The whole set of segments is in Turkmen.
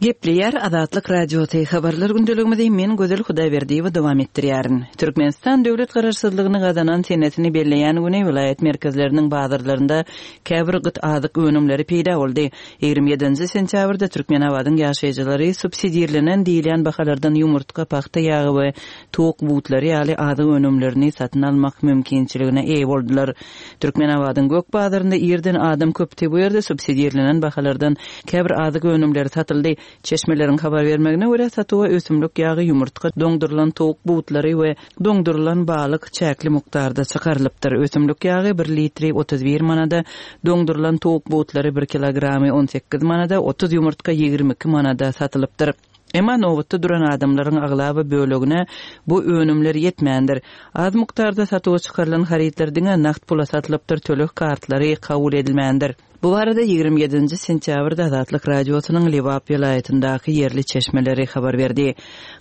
Gepleýär Azatlyk Radiosy, Habarlar gündeligimizi men Gözel Hudaýberdiýewa dowam etdirýärin. Türkmenistan döwlet garaşsyzlygyny gazanan senesini belleýän güni welaýat merkezleriniň bazarlarynda käbir gyt azyk önümleri peýda boldy. 27-nji sentýabrda Türkmenabadyň ýaşaýjylary subsidirlenen diýilýän bahalardan ýumurtga, pagta ýagy we towuk butlary ýaly azyk önümlerini satyn almak mümkinçiligine eýe boldular. Türkmenabadyň gök bazarynda irden adam köpdi, bu ýerde subsidirlenen bahalardan käbir azyk önümleri satyldy. Çeşmeleriň habar bermegine görä, satuwa ösümlik ýagy, ýumurtga, doňdurylan towuk butlary we doňdurylan balyk çäkli mukdarda çykarylypdyr. Ösümlik ýagy bir litri 31 manada, doňdurylan towuk butlary bir kilogramy 18 manada, 30 ýumurtga 22 manada satylypdyr. Emma nobatda duran adamlaryň aglaba bölegine bu önümler ýetmändir. Az mukdarda satuwa çykarylan harytlar diňe nagt pula satylypdyr, töleg kartlary kabul edilmändir. Bu barada 27-nji sentýabrda Azatlyk Radiosynyň Lebap welaýatyndaky ýerli çeşmeleri habar berdi.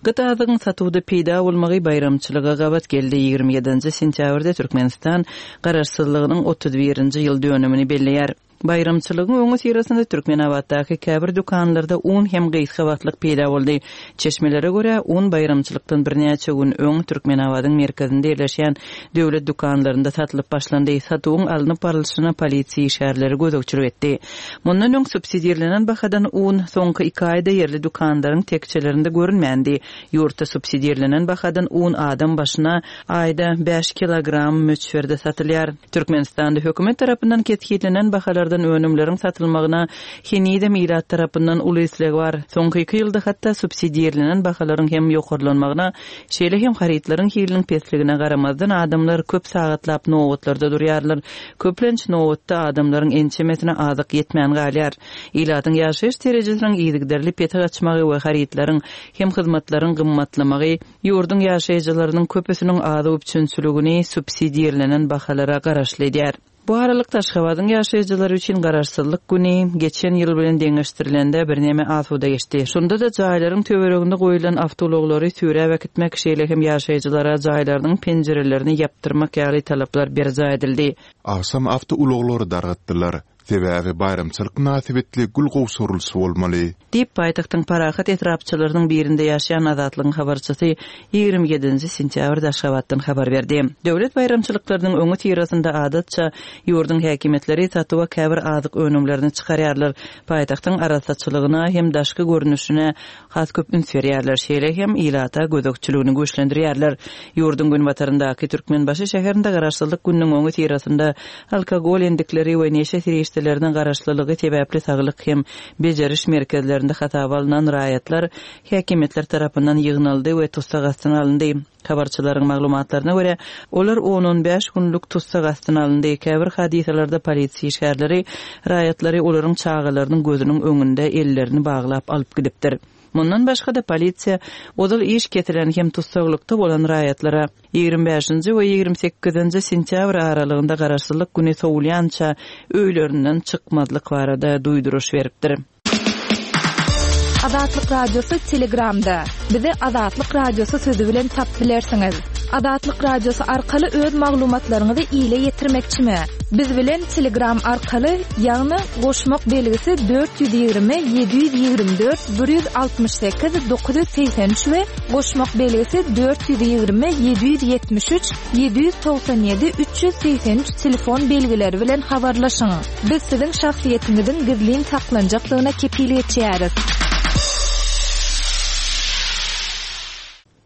Gyt azygyň satuwda peýda bolmagy baýramçylyga gabat geldi. 27-nji sentýabrda Türkmenistan Garaşsyzlygynyň 31-nji ýyl dönümini belleýär. Baýramçylygyň öňüsyrasynda Türkmenabatdaky käbir dükanlarda un hem gysga wagtlyk peýda boldy. Çeşmelere görä, un baýramçylykdan birnäçe gün öň Türkmenabadyň merkezinde ýerleşýän döwlet dükanlarynda satylyp başlandy. Satuwyň alnyp barlyşyna polisiýa işgärleri gözegçilik etdi. Mundan öň subsidirlenen bahadan un soňky iki aýda ýerli dükanlaryň tekjelerinde görünmändi. Ýurtda subsidirlenen bahadan un adam başyna aýda bäş kilogram möçberde satylýar. Türkmenistanda hökümet tarapyndan kesgitlenen bahalardan önümleriň satylmagyna henizem ilat tarapyndan uly isleg bar. Soňky iki ýylda hatda subsidirlenen bahalaryň hem ýokarlanmagyna, şeýle hem harytlaryň hiliniň pesligine garamazdan adamlar köp sagatlap nobatlarda durýarlar. Köplenç nobatda adamlaryň ençemesine azyk ýetmän galýar. Ilatyň ýaşaýyş derejesiniň yzygiderli pese gaçmagy we harytlaryň hem hyzmatlaryň gymmatlamagy Ýurduň ýaşaýjylarynyň köpüsiniň azyk üpjünçiligini subsidirlenen bahalara garaşly edýär. Bu aralykda, Aşgabadyň ýaşaýjylary üçin Garaşsyzlyk güni geçen ýyl bilen deňeşdirilende birneme asuda geçdi. Şonda-da jaýlaryň töwereginde goýlan awtoulaglary süräp äkitmek, şeýle hem ýaşaýjylara jaýlarynyň penjirelerini ýapdyrmak ýaly talaplar berjaý edildi. Agşam awtoulaglary dargatdylar. Sebäbi baýramçylyk mynasybetli gül gowşurylyşy bolmaly. Diýip, paýtagtyň Parahat etrapçalarynyň birinde ýaşaýan Azatlygyň habarçysy 27-nji sentýabrda Aşgabatdan habar berdi. Döwlet baýramçylyklarynyň öňüsyrasynda adatça ýurduň häkimiýetleri satuwa käbir azyk önümlerini çykarýarlar, paýtagtyň arassaçylygyna hem daşky görnüşine has köp üns berýärler, şeýle hem ilata gözegçiligini güýçlendirýärler. Ýurduň günbataryndaky Türkmenbaşy şäherinde Garaşsyzlyk gününiň öňüsyrasynda alkogol endikleri we neşe serişdelerine garaşlylygy sebäpli saglyk hem bejeriş merkezlerinde hasaba alnan raýatlar häkimiýetler tarapyndan ýygnaldy we tussag astyna alyndy. Habarçylaryň maglumatlaryna görä, olar on-on bäş günlük tussag astyna alyndy. Käbir hadysalarda polisiýa işgärleri raýatlary olaryň çagalarynyň gözüniň öňünde ellerini baglap alyp gidipdir. Mundan başga-da, polisiýa ozal iş kesilen hem tussaglykda bolan raýatlara 25-nji we 28-nji sentýabr aralygynda Garaşsyzlyk güni sowulýança öýlerinden çykmazlyk barada duýduryş beripdir. Azatlyk Radiosy Telegramda. Bizi Azatlyk Radiosy sözi bilen tapyp bilersiňiz. Azatlyk Radiosy arkaly öz maglumatlaryňyzy ile ýetirmekçimi? Biz bilen Telegram arkaly, ýagny goşmak belgisi 420 724 168 983 we goşmak belgisi 420 773 797 383 telefon belgileri bilen habarlaşyň. Biz siziň şahsyýetiňiziň gizlin saklanjakdygyna kepil geçýäris.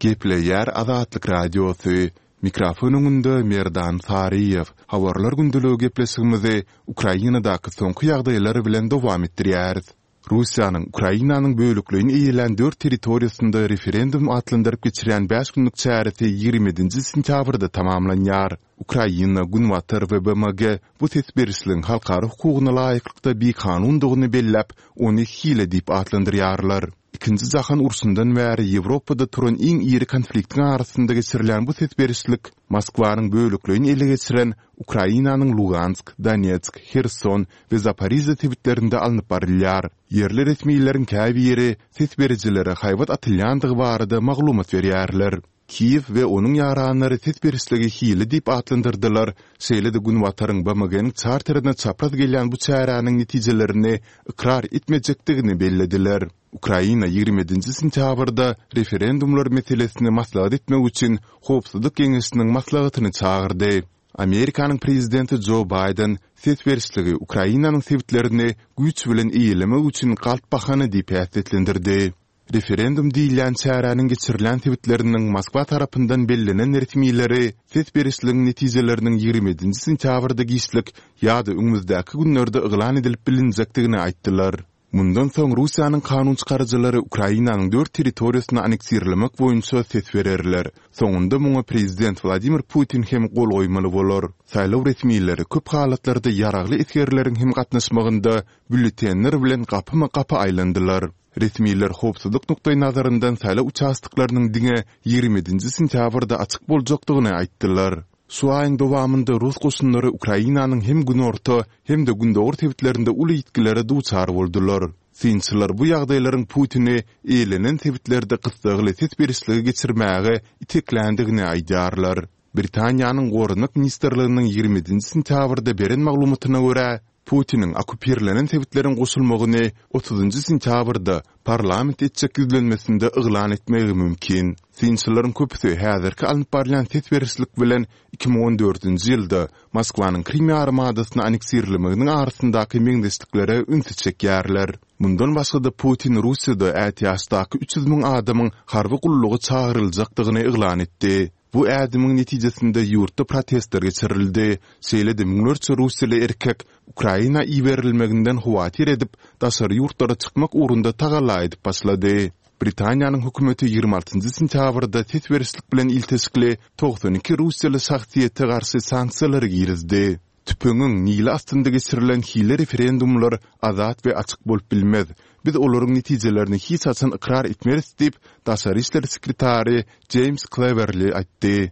Gepleýär Azatlyk Radiosy, Mikrofon öňünde Merdan Saryýew. Habarlar gündeligi gepleşigimizi Ukrainadaky soňky ýagdaýlar bilen dowam etdirýäris. Russiýanyň Ukrainanyň bölekleýin eýelän dört territoriýasynda referendum atlandyryp geçirýän bäş günlük çäresi 27-nji sentýabrda tamamlanýar. Ukraina, Günbatar we BMG bu ses berişligiň halkara hukugyna laýyklykda bikanundygyny belläp, ony hile diýip atlandyrýarlar. Ikinji jahan urşundan bäri Ýewropada turan iň iri konfliktiň arasynda geçirilýän bu ses berişlik Moskwanyň bölekleýin ele geçiren Ukrainanyň Lugansk, Donetsk, Herson we Zaporižýa sebitlerinde alnyp barylýar. Ýerli resmileriň käbiri ses berijilere haýbat atylýandygy barada maglumat berýärler. Kiýew we onuň ýaranlary ses berişligi hile diýip atlandyrdylar, şeýle-de Günbataryň BMG-niň çarterine çapraz gelýän bu çäräniň netijelerini ykrar etmejekdigini bellediler. Ukraina 27-nji sentýabrda referendumlar meselesini maslahat etmek üçin Howpsuzlyk geňeşiniň maslahatyny çagyrdy. Amerikanyň prezidenti Jo Baýden ses berişligi Ukrainanyň sebitlerini güýç bilen eýelemek üçin galp bahana diýip häsiýetlendirdi. Referendum diýilýän çäräniň geçirilýän sebitleriniň Moskwa tarapyndan bellenen resmileri ses berişligiň netijeleriniň 27-nji sentýabrda giçlik ýa-da öňümizdäki günlerde yglan edilip bilinjekdigini aýtdylar. Mundan soň Russiýanyň kanunçykaryjylary Ukrainanyň dört territoriýasyny anneksirlemek boýunça ses bererler. Soňunda muňa prezident Wladimir Putin hem gol goýmaly bolar. Saýlaw resmileri köp halatlarda ýaragly esgerleriň hem gatnaşmagynda býulletenler bilen gapyma-gapy aýlandylar. Resmiler howpsuzlyk nukdaýnazaryndan saýlaw uçastoklarynyň diňe 27-nji sentýabrda açyk boljakdygyny aýtdylar. Şu aýyň dowamynda rus goşunlary Ukrainanyň hem günorta, hem-de gündogar sebitlerinde uly ýitgilere duçar boldular. Synçylar bu ýagdaýlaryň Putini eýelenen sebitlerde gyssagly ses berişligi geçirmäge itekländigini aýdýarlar. Britaniýanyň Goranmak ministrliginiň 27-nji sentýabrda beren maglumatyna görä, Putiniň okkupirlenen sebitleriň goşulmagyny otuzynjy sentýabrda parlament etjek ýüzlenmesinde yglan etmegi mümkin. Synçylaryň köpüsi häzirki alnyp barylýan ses berişlik bilen 2014-nji ýylda Moskwanyň Krym ýarymadasyny anneksirlemeginiň arasyndaky meňzeşliklere ünsi çekýärler. Mundan başga-da Putin Russiýada ätiýaçdaky 300 müň adamyň harby gulluga çagyryljakdygyny yglan etdi. Bu ädimiň netijesinde ýurtda protestler geçirildi, şeýle-de müňlerçe russiýaly erkek Ukraina iberilmeginden howatyr edip, daşary ýurtlara çykmak ugrunda tagalla edip başlady. Britaniýanyň hökümeti 26-njy sentýabrda ses berişlik bilen ilteşikli 92 russiýaly şahsyýete garşy sanksiýalary girizdi. Tüpeňiň nili astynda geçirilen hile referendumlar azat we açyk bolup bilmez. Biz olaryň netijelerini hiç haçan ykrar etmeris diýip, daşary işler sekretary Jeýms Klewerli aýtdy.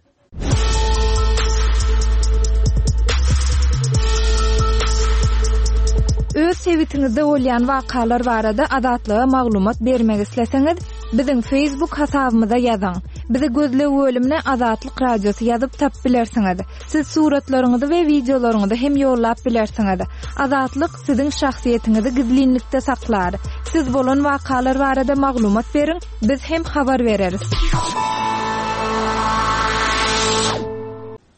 Öz sebitiňizde bolýan wakalar barada Azatlyga maglumat bermek isleseňiz, biziň Facebook hasabymyza ýazyň. Bizi gözleg bölümine Azatlyk Radiosy ýazyp tapyp bilersiňiz. Siz suratlaryňyzy we wideolaryňyzy hem ýollap bilersiňiz. Azatlyk siziň şahsyýetiňizi gizlinlikde saklar. Siz bolan wakalar barada maglumat beriň, biz hem habar bereris.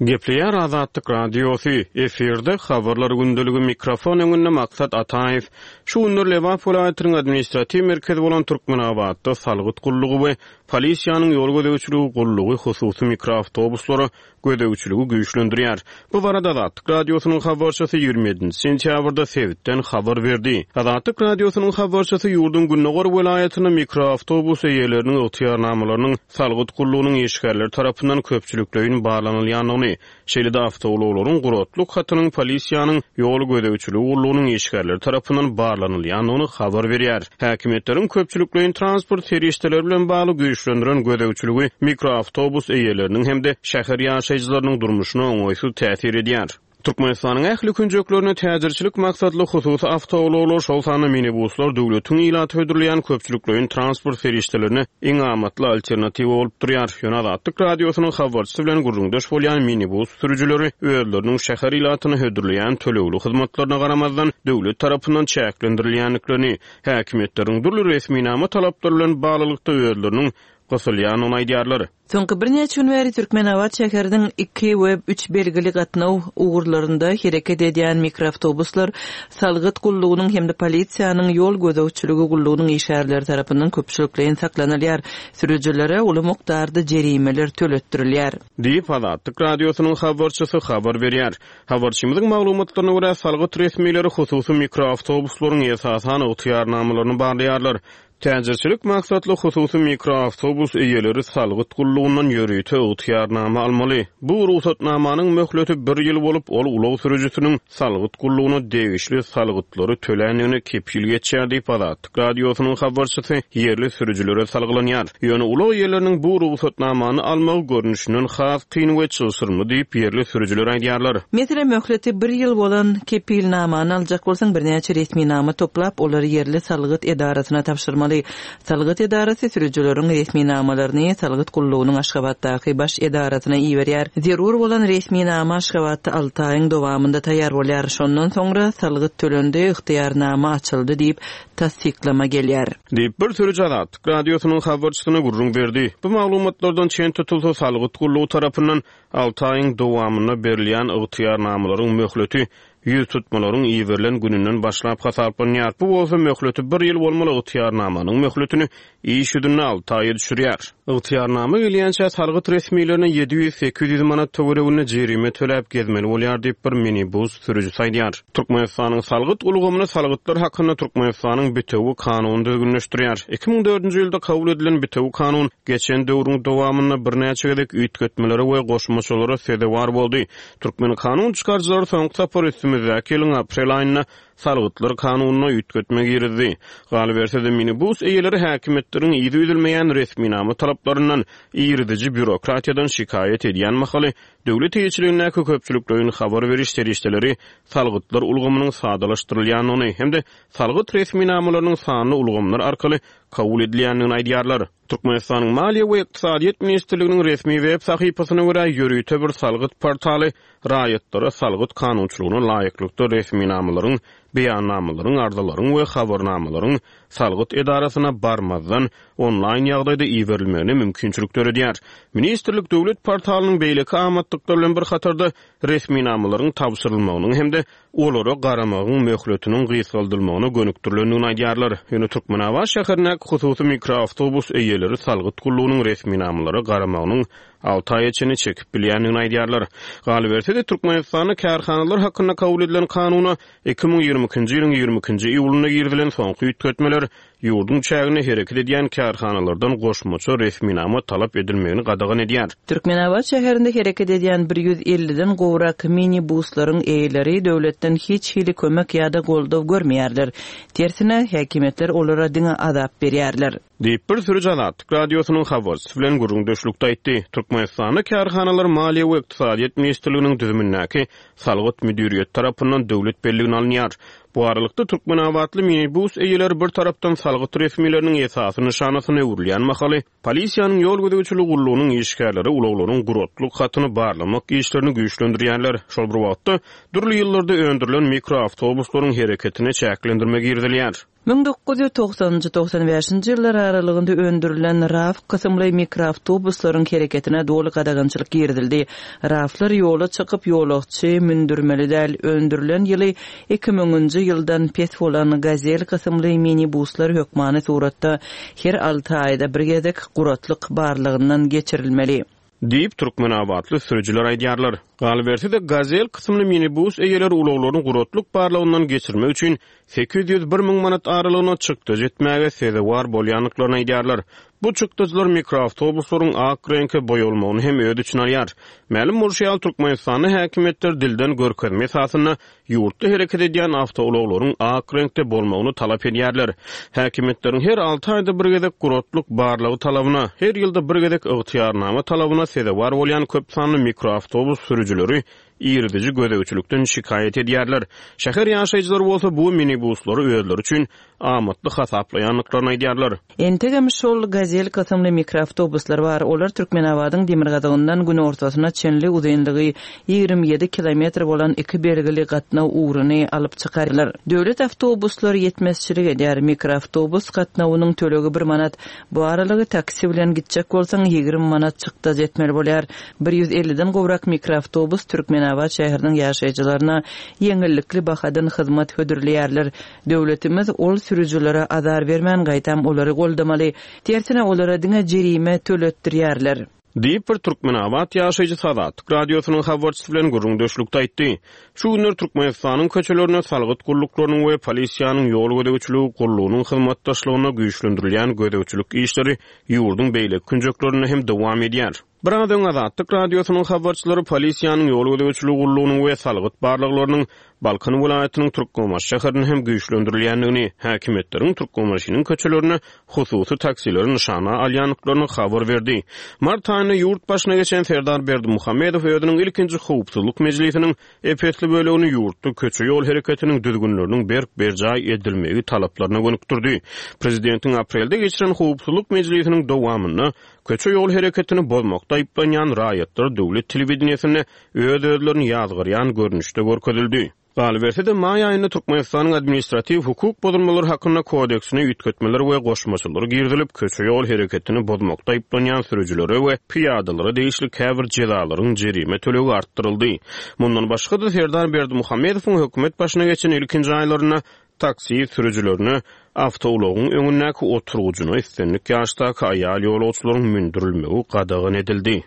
Gepleýär Azatlyk Radiosy, efirde Habarlar gündeligi, mikrofon öňünde Maksat Ataýew. Şu günler Lebap welaýatynyň administratiw merkezi bolan Türkmenabatda salgyt gullugy we polisiýanyň ýol gözegçiligi gullugy hususy mikroawtobuslara gözegçiligi güýçlendirýär. Bu barada Azatlyk Radiosynyň habarçysy 27-nji sentýabrda sebitden habar berdi. Azatlyk Radiosynyň habarçysy ýurduň gündogar welaýatynda mikroawtobus eýeleriniň ygtyýarnamalarynyň salgyt gullugynyň işgärleri tarapyndan köpçülikleýin barlanylýandygyny, Şeýle-de awtoulaglaryň guratlyk hatynyň polisiýanyň ýol gözegçiligi gullugynyň işgärleri tarapyndan barlanylýandygyny habar berýär. Häkimiýetleriň köpçülikleýin transport serişdeleri bilen bagly güýçlendiren gözegçiligi mikroawtobus eýeleriniň hem-de şäher ýaşaýjylarynyň durmuşyna oňaýsyz täsir edýär. Türkmenistanyň ähli künjeklerinde täjirçilik maksatly hususy awtoulaglar, şol sanda minibuslar döwletiň ilata hödürleýän köpçülikleýin transport serişdelerine iň amatly alternatiwa bolup durýar. Ýöne Azatlyk Radiosynyň habarçysy bilen gürrüňdeş bolýan minibus sürüjileri özleriniň şäher ilatyna hödürleýän tölegli hyzmatlaryna garamazdan, döwlet tarapyndan çäklendirilýändiklerini, häkimiýetleriň dürli resminama talaplary bilen baglylykda özleriniň gysylýandygyny aýdýarlar. Soňky birnäçe gün bäri Türkmenabat şäheriniň iki we üç belgili gatnaw ugurlarynda hereket edýän mikroawtobuslar salgyt gullugynyň hem-de polisiýanyň ýol gözegçiligi gullugynyň işgärleri tarapyndan köpçülikleýin saklanylýar, sürüjilere uly mukdarda jerimeler töletdirilýär. Diýip, Azatlyk Radiosynyň habarçysy habar berýär. Habarçymyzyň maglumatlaryna görä, salgyt resmileri hususy mikroawtobuslaryň esasan ygtyýarnamalaryny barlaýarlar. Täjirçilik maksatly hususy mikroawtobus eýeleri salgyt gullugyndan ýörite ygtyýarnama almaly. Bu rugsatnamanyň möhleti bir ýyl bolup, ol ulag sürüjisiniň salgyt gullugyna degişli salgytlary töländigine kepil geçýär diýip, Azatlyk Radiosynyň habarçysy ýerli sürüjilere salgylanýar. Ýöne ulag eýeleriniň bu rugsatnamany almagy görnüşinden has kyn we çylşyrymly diýip, ýerli sürüjiler aýdýarlar. Meselem, möhleti bir ýyl bolan kepilnamany aljak bolsaň, birnäçe resminama toplap, olary ýerli salgyt edarasyna tabşyrmaly. almaly. Salgyt edarasy sürüjileriň resminamalaryny salgyt gullugynyň Aşgabatdaky baş edarasyna iberýär. Zerur bolan resminama Aşgabatda alty aýyň dowamynda taýýar bolýar. Şondan soňra salgyt tölendi, ygtyýarnama açyldy diýip, tassyklama gelýär. Diýip, bir sürüji Azatlyk Radiosynyň habarçysyna gürrüň berdi. Bu maglumatlardan çen tutulsa, salgyt gullugy tarapyndan alty aýyň dowamynda berilýän ygtyýarnamalaryň möhleti ýüztutmalaryň iberilen gününden başlap hasaplanýar. Bu bolsa möhleti bir ýyl bolmaly ygtyýarnamanyň möhletini iş ýüzünde alty aýa düşürýär. Ygtyýarnama gelýänçä salgyt resmilerine 700-800 manat töwereginde jerime töläp gezmeli bolýar diýip, bir minibus sürüjisi aýdýar. Türkmenistanyň salgyt ulgamyny Salgytlar hakynda Türkmenistanyň Bitewi kanuny düzgünleşdirýär. 2004-nji ýylda kabul edilen Bitewi kanun geçen döwrüň dowamynda birnäçe gezek üýtgetmelere we goşmaçalara sezewar boldy. Türkmen kanun çykaryjylary soňky sapar üstümizdäki ýylyň aprel aýynda Salgytlar kanunyna üýtgetme girizdi. Galyberse-de, minibus eýeleri häkimiýetleriň yzy üzülmeýän resminama talaplaryndan, iriziji býurokratiýadan şikaýat edýän mahaly, döwlet eýeçiligindäki köpçülikleýin habar beriş serişdeleri salgytlar ulgamynyň sadalaşdyrylýandygyny hem-de salgyt resminamalarynyň sanly ulgamlar arkaly kabul edilýändigini aýdýarlar. Türkmenistanyň Maliýe we ykdysadyýet ministrliginiň resmi web sahypasyna görä, ýörite bir salgyt portaly raýatlara salgyt kanunçylygyna laýyklykda resminamalaryň, beýannamalaryň, arzalaryň we habarnamalaryň salgyt edarasyna barmazdan, onlaýn ýagdaýda iberilmegine mümkinçilik döredýär. Ministrlik döwlet portalynyň beýleki amatlyklar bilen bir hatarda resminamalaryň tabşyrylmagynyň hem-de olara garamagyň möhletiniň gysgaldylmagyna gönükdirilendigini aýdýarlar. Ýöne Türkmenabat şäherindäki hususy mikroawtobus eýeleri salgyt gullugynyň resminamalara garamagynyň alty aýa çenli çekip bilýändigini aýdýarlar. Galyberse-de, Türkmenistanda kärhanalar hakynda kabul edilen kanuna 2022-nji ýylyň 22-nji iýulynda girizilen soňky üýtgetmeler ýurduň çäginde hereket edýän kärhanalardan goşmaça resminama talap edilmegini gadagan edýär. Türkmenabat şäherinde hereket edýän bir 150-den gowrak mini-buslaryň eýeleri döwletden hiç hili kömek ýa-da goldaw görmeýärler. Tersine, häkimiýetler olara diňe azap berýärler. Diýip, bir sürüji Azatlyk Radiosynyň habarçysy bilen gürrüňdeşlikde aýtdy. Türkmenistanda kärhanalar Maliýe we ykdysadyýet ministrliginiň düzümindäki Salgyt müdiriýeti tarapyndan döwlet belligine alynýar. Bu aralykda, türkmenabatly minibus eýeleri bir tarapdan salgyt resmileriniň esasy nyşanasyna öwrülýän mahaly, polisiýanyň ýol gözegçiligi gullugynyň işgärleri ulaglaryň guratlyk hatyny barlamak işlerini güýçlendirýärler. Şol bir wagtda, dürli ýyllarda öndürilen mikroawtobuslaryň hereketine çäklendirme girizilýär. 1990-njy, 95-nji ýyllar aralygynda öndürilen RAV kysymly mikroawtobuslaryň hereketine doly gadagançylyk girizildi. RAV-lar ýola çykyp, ýolagçy mündürmeli däl. Öndürilen ýyly 2000-nji ýyldan pes bolan Gazel kysymly minibuslar hökmany suratda her alty aýda bir gezek guratlyk barlagyndan geçirilmeli. Diýip, türkmenabatly sürüjiler aýdýarlar. Galyberse-de, Gazel kysymly minibus eýeleri ulaglaryny guratlyk barlagyndan geçirmek üçin 801 müň manat aralygynda çykdajy etmäge sezewar bolýandyklaryny aýdýarlar. Bu çykdajylar mikroawtobuslaryň ak reňke boýalmagyny hem öz içine alýar. Mälim bolşy ýaly, Türkmenistanda häkimiýetler dilden görkezme esasynda ýurtda hereket edýän awtoulaglaryň ak reňkde bolmagyny talap edýärler. Häkimiýetleriň her alty aýda bir gezek guratlyk barlagy talabyna, her ýylda bir gezek ygtyýarnama talabyna sezewar bolýan köp sanly mikroawtobus sürüjileri iriziji gözegçilikden şikaýat edýärler. Şäher ýaşaýjylary bolsa bu minibuslary özleri üçin amatly hasaplaýandyklaryny aýdýarlar. Entegem şol Gazel kysymly mikroawtobuslar bar. Olar Türkmenabadyň demirgazygyndan günortasyna çenli uzynlygy 27 kilometr bolan iki belgili gatnaw ugruny alyp çykarlar. Döwlet awtobuslary ýetmezçilik edýär. Mikroawtobus gatnawynyň tölegi bir manat. Bu aralygy taksi bilen gitjek bolsaň, 20 manat çykdajy etmeli bolýar. Bir 150-den gowrak mikroawtobus Türkmenabat şäheriniň ýaşaýjylaryna ýeňillikli bahadan hyzmat hödürleýärler. Döwletimiz ol sürüjilere azar bermän, gaýtam olary goldamaly. Tersine olara diňe jerime töletdirýärler. Diýip, bir türkmenabat ýaşaýjysy Azatlyk Radiosynyň habarçysy bilen gürrüňdeşlikde aýtdy. Şu günler Türkmenistanyň köçelerinde salgyt gulluklarynyň we polisiýanyň ýol gözegçiligi gullugynyň hyzmatdaşlygynda güýçlendirilýän gözegçilik işleri ýurduň beýleki künjeklerinde hem dowam edýär. Biraz öň Azatlyk Radiosynyň habarçylary polisiýanyň ýol gözegçiligi gullugynyň we salgyt barlaglarynyň Balkan welaýatynyň Türkmenbaşy şäherinde hem güýçlendirilýändigini, häkimiýetleriň Türkmenbaşynyň köçelerinde hususy taksileri nyşana alýandyklaryny habar berdi. Mart aýynda ýurt başyna geçen Serdar Berdimuhamedow özüniň ilkinji howpsuzlyk mejlisiniň ep-esli bölegini ýurtda köçe-ýol hereketiniň düzgünleriniň berk berjaý edilmegi talaplaryna gönükdirdi. Prezidentiň aprelde geçiren howpsuzlyk mejlisiniň dowamynda köçe-ýol hereketini bozmakda aýyplanýan raýatlar döwlet telewideniýesinde öz-özlerini ýazgarýan görnüşde görkezildi. Galyberse-de, maý aýynda Türkmenistanyň Administratiw hukuk bozulmalary hakynda kodeksine üýtgetmeler we goşmaçalar girizilip, köçe-ýol hereketini bozmakda aýyplanýan sürüjilere we pyýadalara degişli käbir jezalaryň jerime tölegi artdyryldy. Mundan başga-da, Serdar Berdimuhamedowyň hökümet başyna geçen ilkinji aýlarynda taksi sürüjilerine awtoulagyň öňündäki oturgyjyna islendik ýaşdaky aýal ýolagçylaryň mündürilmegi gadagan edildi.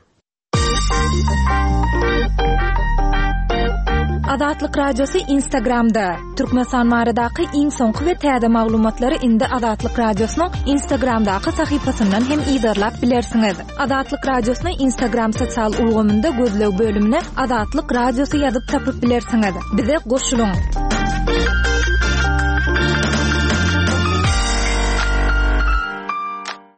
Azatlyk Radiosy Instagramda, Türkmenistan baradaky iň soňky we täze maglumatlary indi Azatlyk Radiosynyň Instagramdaky sahypasyndan hem yzarlap bilersiňiz. Azatlyk Radiosyny Instagram sosial ulgamynda gözleg bölümine Azatlyk Radiosy ýazyp tapyp bilersiňiz. Bize goşulyň!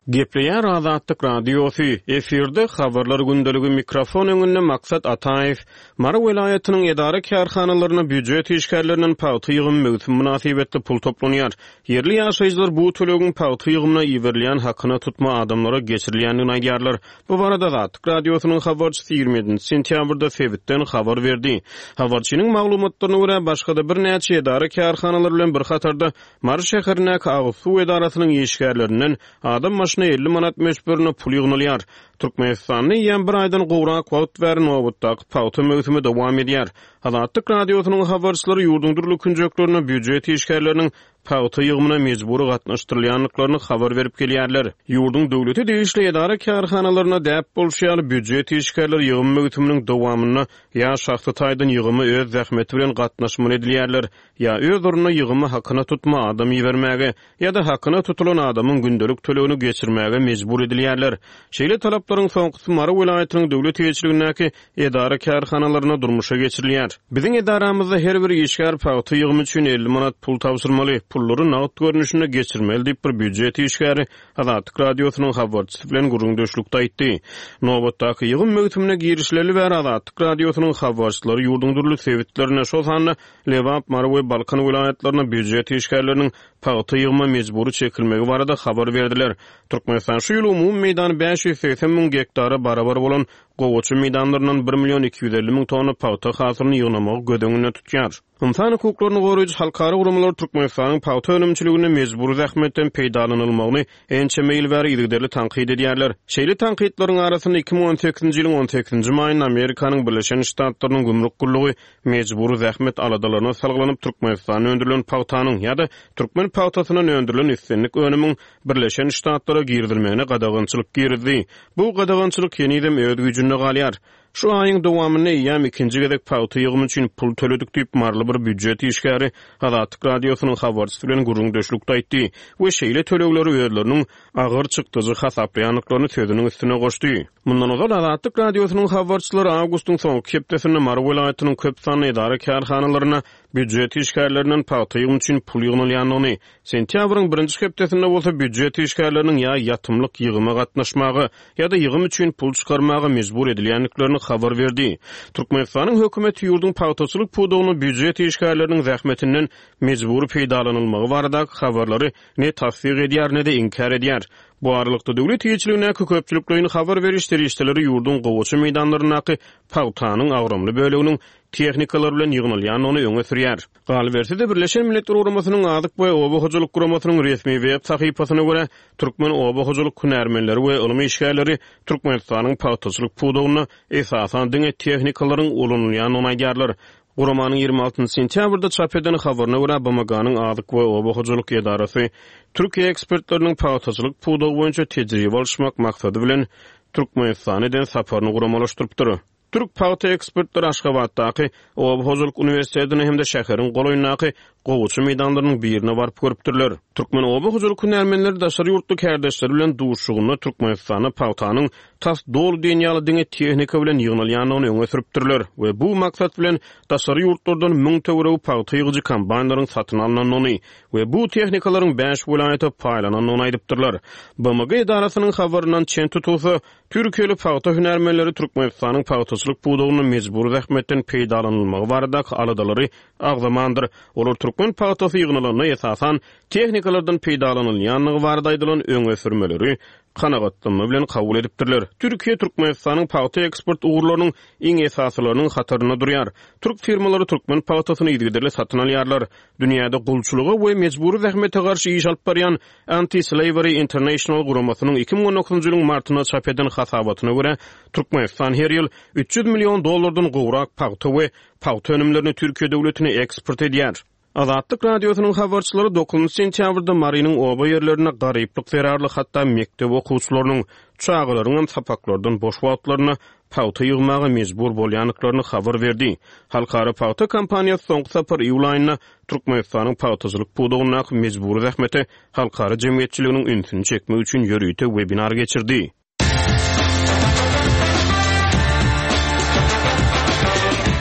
Gepleýär Azatlyk Radiosy, efirde Habarlar gündeligi mikrofon öňünde Maksat Ataýew. Mary welaýatynyň edara-kärhanalarynda býujet işgärlerinden pagta ýygymy möwsümi mynasybetli pul toplanýar. Ýerli ýaşaýjylar bu tölegiň pagta ýygymyna iberilýän hakyna tutma adamlara geçirilýändigini aýdýarlar. Bu barada Azatlyk Radiosynyň habarçysy 27 sentýabrda sebitden habar berdi. Habarçynyň maglumatlaryna görä, başga-da birnäçe edara-kärhanalar bilen bir hatarda Mary şäherindäki agyz suw edarasynyň işgärlerinden adam başyna 50 manat möçberinde pul ýygnalýar. Türkmenistanda eýýäm bir aýdan gowrak wagt bäri nobatdaky pagta möwsümi dowam edýär. Azatlyk Radiosynyň habarçylary ýurduň dürli künjeklerinde býujet işgärleriniň pagta ýygymyna mejbury gatnaşdyrylýandyklaryny habar berip gelýärler. Ýurduň döwlete degişli edara-kärhanalarynda däp bolşy ýaly, býujet işgärleri ýygym möwsüminiň dowamynda ýa şahsy taýdan ýygyma öz zähmeti bilen gatnaşmaly edilýärler, ýa öz ornuna ýygyma hakyna tutma adam ibermäge, ýa-da hakyna tutulan adamyň gündelik tölegini geçirmäge mejbur edilýärler. Şeýle talaplaryň soňkusy Mary welaýatynyň döwlet eýeçiligindäki edara-kärhanalarynda durmuşa geçirilýär. Biziň edaramyzda her bir işgär pagta ýygymy üçin 50 manat pul tabşyrmaly, pullary nagt görnüşinde geçirmeli diýip, bir býujet işgäri Azatlyk Radiosynyň habarçysy bilen gürrüňdeşlikde aýtdy. Nobatdaky ýygym möwsümine girişileli bäri Azatlyk Radiosynyň habarçylary ýurduň dürli sebitlerinde, şol sanda Lebap, Mary we Balkan welaýatlarynda býujet işgärleriniň pagta ýygyma mejbury çekilmegi barada habar berdiler. Türkmenistan şu ýyl umumy meýdany 580 müň gektara barabar bolan gowaça meýdanlaryndan bir million 250 müň tonna pagta hasylyny ýygnamagy göz öňünde tutýar. Ynsan hukuklaryny goraýjy halkara guramalar Türkmenistanyň pagta önümçiliginde mejbury zähmetden peýdalanylmagyny ençeme ýyl bäri yzygiderli tankyt edýärler. Şeýle tankytlaryň arasynda 2018-nji ýylyň on sekizinji maýynda Amerikanyň Birleşen Ştatlarynyň gümrük gullugy mejbury zähmet aladalaryna salgylanyp Türkmenistanda öndürilen pagtanyň ýa-da türkmen pagtasyndan öndürilen islendik önümiň Birleşen Ştatlara girizilmegine gadagançylyk girizdi. Bu gadagançylyk henizem öz güýjünde galýar. Şu aýyň dowamynda eýýäm ikinji gezek pagta ýygymy üçin pul töledik diýip, maryly bir býujet işgäri Azatlyk Radiosynyň habarçysy bilen gürrüňdeşlikde aýtdy we şeýle tölegleri özleriniň agyr çykdajy hasaplaýandyklaryny sözüniň üstüne goşdy. Mundan ozal Azatlyk Radiosynyň habarçylary awgustyň soňky hepdesinde Mary welaýatynyň köp sanly edara-kärhanalarynda býujet işgärlerinden pagta ýygymy üçin pul ýygnalýandygyny, Sentýabryň birinji hepdesinde bolsa býujet işgärleriniň ýa ýatymlyk ýygyma gatnaşmaga, ýa-da ýygym üçin pul çykarmaga mejbur edilýändiklerini habar berdi. Türkmenistanyň hökümeti ýurduň pagtaçylyk pudagynda býujet işgärleriniň zähmetinden mejbury peýdalanylmagy baradaky habarlary ne tassyk edýär, ne-de inkär edýär. Bu aralykda, döwlet eýeçiligindäki köpçülikleýin habar beriş serişdeleri ýurduň gowaça meýdanlaryndaky pagtanyň agramly böleginiň tehnikalar bilen ýygnalýandygyny öňe sürýär. Galyberse-de, Birleşen Milletler Guramasynyň Azyk we oba hojalyk guramasynyň resmi web sahypasyna görä, türkmen oba hojalyk hünärmenleri we ylym işgärleri Türkmenistanyň pagtaçylyk pudagynda esasan diňe tehnikalaryň ulanylýandygyny aýdýarlar. Guramanyň 26 sentýabrda çap eden habaryna görä, BMG-niň Azyk we oba hojalyk edarasy Türkiýe ekspertleriniň pagtaçylyk pudagy boýunça tejribe alyşmak maksady bilen Türkmenistana eden saparyny guramalaşdyrypdyr. Türk pagta ekspertleri Aşgabatdaky Oba hojalyk uniwersitetine hem-de şäheriň golaýyndaky gowaça meýdanlarynyň birine baryp görüpdirler. Türkmen oba hojalyk hünärmenleri daşary ýurtly kärdeşleri bilen duşuşygynda Türkmenistanda pagtanyň tas doly diýen ýaly diňe tehnika bilen ýygnalýandygyny öňe sürüpdirler we bu maksat bilen daşary ýurtlardan müň töweregi pagta ýygyjy kombaýnlaryň satyn alnandygyny we bu tehnikalaryň bäş welaýata paýlanandygyny aýdypdyrlar. BMG edarasynyň habaryndan çen tutulsa, türkiýeli pagta hünärmenleri Türkmenistanyň pagtaçylyk pudagynda mejbury zähmetden peýdalanylmagy baradaky aladalary agzamandyr. Olar türkmen pagtasy ýygnalanda esasan tehnikalardan peýdalanylýandygy barada aýdylan öňe sürmeleri kanagatlanma bilen kabul edipdirler. Türkiýe Türkmenistanyň pagta eksport ugurlarynyň iň esasylarynyň hatarynda durýar. Türk firmalary türkmen pagtasyny yzygiderli satyn alýarlar. Dünýäde gulçulyga we mejbury zähmete garşy iş alyp barýan Anti-Slavery International guramasynyň 2019-njy ýylyň martynda çap eden hasabatyna görä, Türkmenistan her ýyl 300 million dollardan gowrak pagta we pagta önümlerini Türkiýe döwletine eksport edýär. Azatlyk Radiosynyň habarçylary dokuzynjy sentýabrda Marynyň oba ýerlerinde garyplyk zerarly hatda mekdep okuwçylarynyň, çagalaryňam sapaklardan boş wagtlarynda pagta ýygmaga mejbur bolýandyklaryny habar berdi. Halkara pagta kampaniýasy soňky sapar iýul aýynda Türkmenistanyň pagtaçylyk pudagyndaky mejbury zähmete halkara jemgyýetçiliginiň ünsüni çekmek üçin ýörite webinar geçirdi.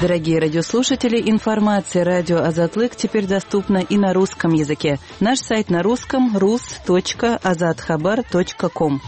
Дорогие радиослушатели, информация радио Азатлык теперь доступна и на русском языке. Наш сайт на русском rus.azathabar.com.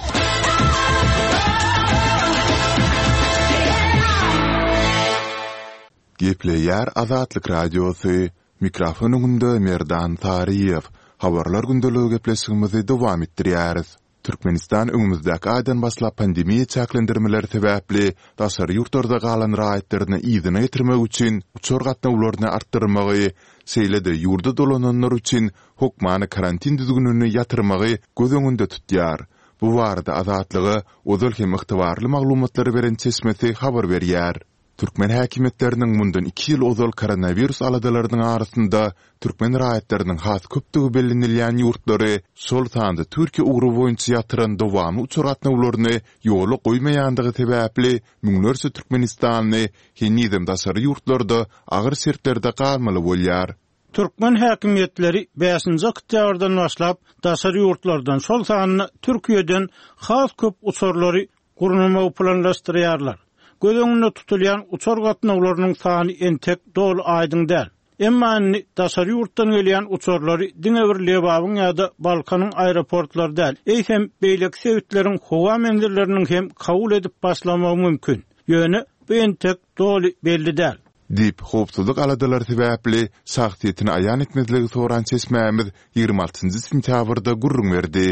Gepleýär Azatlyk Radiosy, Mikrofon öňünde Merdan Saryýew. Habarlar gündeligi gepleşigimizi dowam etdirýäris. Türkmenistan öňümizdäki aýdan başlap pandemiýa çäklendirmeleri sebäpli daşary ýurtlarda galan raýatlaryny yzyna getirmek üçin uçar gatnawlaryny artdyrmagy, şeýle-de ýurda dolananlar üçin hokmany karantin düzgünini ýatyrmagy göz öňünde tutýar. Bu barada Azatlyga ozal hem ygtybarly maglumatlary beren çeşmesi habar berýär. Türkmen häkimiýetleriniň mundan iki ýyl ozal koronawirus aladalarynyň arasynda türkmen raýatlarynyň has köpdügi bellenilýän ýurtlary, şol sanda Türkiýe ugry boýunça ýatyran dowamly uçar gatnawlaryny ýola goýmaýandygy sebäpli müňlerçe türkmenistanly henizem daşary ýurtlarda agyr şertlerde galmaly bolýar. Türkmen häkimiýetleri bäşinji oktýabrdan başlap daşary ýurtlardan, şol sanda Türkiýeden has köp uçarlary gurnamagy planlaşdyrýarlar. Göz öňünde tutulýan uçar gatnawlarynyň sany entek doly aýdyň däl. Emma indi daşary ýurtdan gelýän uçarlary diňe bir Lebabyň ýa-da Balkanyň aeroportlary däl, eýsem, beýleki sebitleriň howa menzilleriniň hem kabul edip başlamagy mümkin. Ýöne bu entek doly belli däl. Diýip, howpsuzlyk aladalary sebäpli şahsyýetini aýan etmezligi soran çeşmämiz 26-njy sentýabrda gürrüň berdi.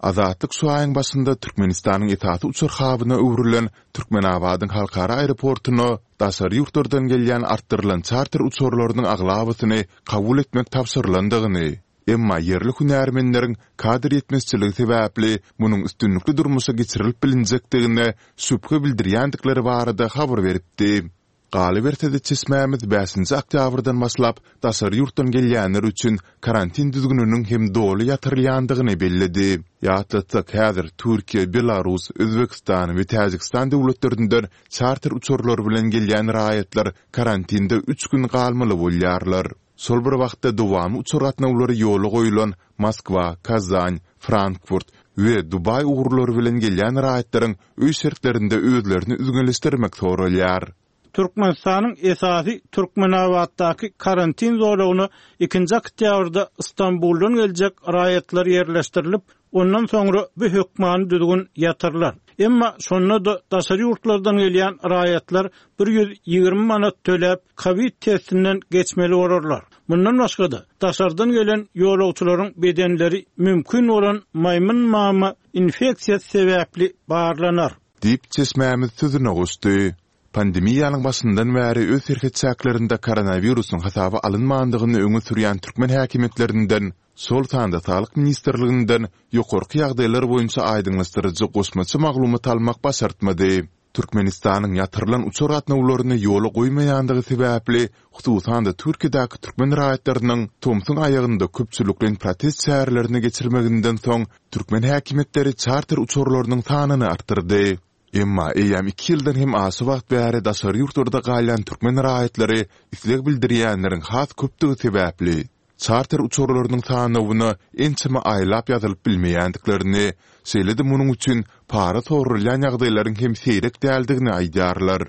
Azatlyk şu aýyň başynda Türkmenistanyň esasy uçar habyna öwrülen Türkmenabadyň halkara aeroportuna daşary ýurtlardan gelýän artdyrylan çarter uçarlarynyň aglabasyny kabul etmek tabşyrylandygyny, emma ýerli hünärmenleriň kadr ýetmezçiligi sebäpli munuň üstünlikli durmuşa geçirilip bilinjekdigine şübhe bildirýändikleri barada habar beripdi. Galyberse-de, çeşmämiz bäşinji oktýabrdan başlap daşary ýurtdan gelýänler üçin karantin düzgüniniň hem doly ýatyrylýandygyny belledi. Ýatlatsak, häzir Türkiýe, Belarus, Özbegistan we Täjigistan döwletlerinden çarter uçarlary bilen gelýän raýatlar karantinde üç gün galmaly bolýarlar. Şol bir wagtda dowamly uçar gatnawlary ýola goýlan Moskwa, Kazan, Frankfurt we Dubaý ugurlary bilen gelýän raýatlaryň öý şertlerinde özlerini üzňeleşdirmek soralýar. Türkmenistanyň esasy Türkmenabatdaky karantin zolagyna ikinji oktýabrda Stambuldan geljek raýatlar ýerleşdirilip, ondan soňra bu hökmany düzgün ýatyrylar. Emma şonda-da daşary ýurtlardan gelýän raýatlar 120 manat töläp, kowid testinden geçmeli bolarlar. Mundan başga-da, daşardan gelen ýolagçylaryň bedenleri mümkin bolan maýmyn mama infeksiýasy sebäpli barlanar. Diýip, çeşmämiz sözüne goşdy. Pandemiýanyň başyndan bäri öz serhet çäklerinde koronawirusyň hasaba alynmandygyny öňe sürýän türkmen häkimiýetlerinden, şol sanda Saglyk ministrliginden ýokarky ýagdaýlar boýunça aýdyňlaşdyryjy goşmaça maglumat almak başartmady. Türkmenistanyň ýatyrylan uçar gatnawlaryny ýola goýmaýandygy sebäpli, hususan-da Türkiýedäki türkmen raýatlarynyň tomsuň aýagynda köpçülikleýin protest çärelerini geçirmeginden soň, türkmen häkimiýetleri çarter uçarlarynyň sanyny artdyrdy. Emma eýýäm iki ýyldan hem aşa wagt bäri daşary ýurtlarda galýan türkmen raýatlary isleg bildirýänleriň has köpdügi sebäpli, çarter uçarlarynyň sanawyna ençeme aýlap ýazylyp bilmeýändiklerini, şeýle-de munuň üçin para soralýan ýagdaýlaryň hem seýrek däldigini aýdýarlar.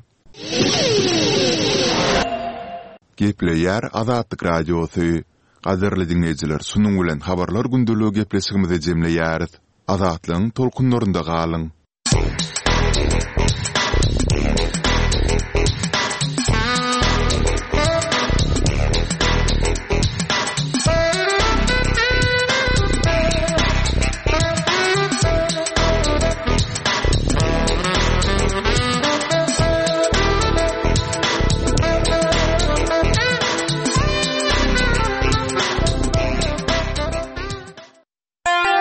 Gepleýär Azatlyk Radiosy. Gadyrly diňleýjiler, şunuň bilen Habarlar gündeligi gepleşigimizi jemleýäris. Azatlygyň tolkunlarynda galyň!